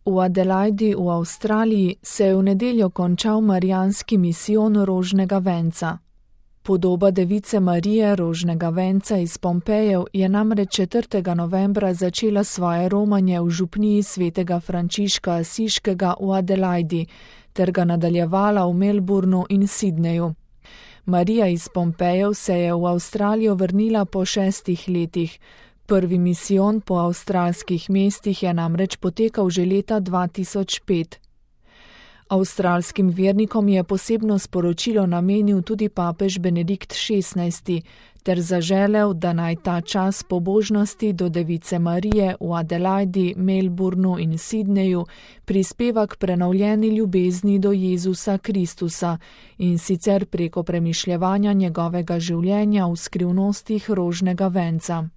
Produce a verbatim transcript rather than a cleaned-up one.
V Adelaidi v Avstraliji se je v nedeljo končal marijanski misijon rožnega venca. Podoba device Marije rožnega venca iz Pompejev je namreč četrtega novembra začela svoje romanje v župniji svetega Frančiška Asiškega v Adelaidi ter ga nadaljevala v Melbournu in Sydneyju. Marija iz Pompejev se je v Avstralijo vrnila po šestih letih. Prvi misijon po avstralskih mestih je namreč potekal že leta dva tisoč pet. Avstralskim vernikom je posebno sporočilo namenil tudi papež Benedikt šestnajsti ter zaželel, da naj ta čas pobožnosti do device Marije v Adelaidi, Melbournu in Sydneyju prispeva k prenovljeni ljubezni do Jezusa Kristusa in sicer preko premišljevanja njegovega življenja v skrivnostih rožnega venca.